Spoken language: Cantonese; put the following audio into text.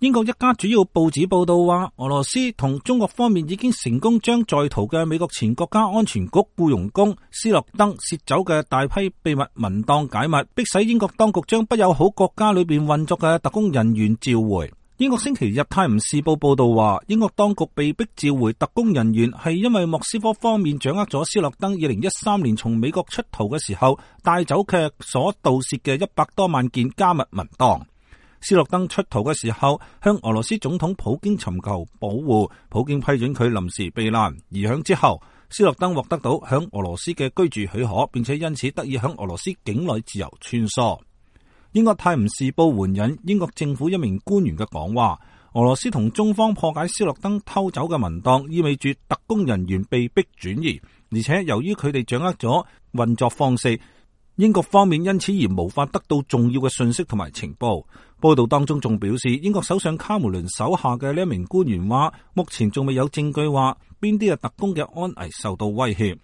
英國一家主要報紙報道話，俄羅斯同中國方面已經成功將在逃嘅美國前國家安全局僱傭工斯諾登竊走嘅大批秘密文檔解密，迫使英國當局將不友好國家裏邊運作嘅特工人員召回。英國星期日泰晤士報報道話，英國當局被迫召回特工人員係因為莫斯科方面掌握咗斯諾登2013年從美國出逃嘅時候帶走嘅所盜竊嘅100多萬件加密文檔。斯諾登出逃嘅時候，向俄羅斯總統普京尋求保護，普京批准佢臨時避難。而響之後，斯諾登獲得到響俄羅斯嘅居住許可，並且因此得以響俄羅斯境內自由穿梭。英國泰晤士報援引英國政府一名官員嘅講話，俄羅斯同中方破解斯諾登偷走嘅文檔，意味住特工人員被迫轉移，而且由於佢哋掌握咗運作方式，英國方面因此而無法得到重要嘅信息同埋情報。報道當中仲表示，英國首相卡梅倫手下嘅呢一名官員話，目前仲未有證據話邊啲嘅特工嘅安危受到威脅。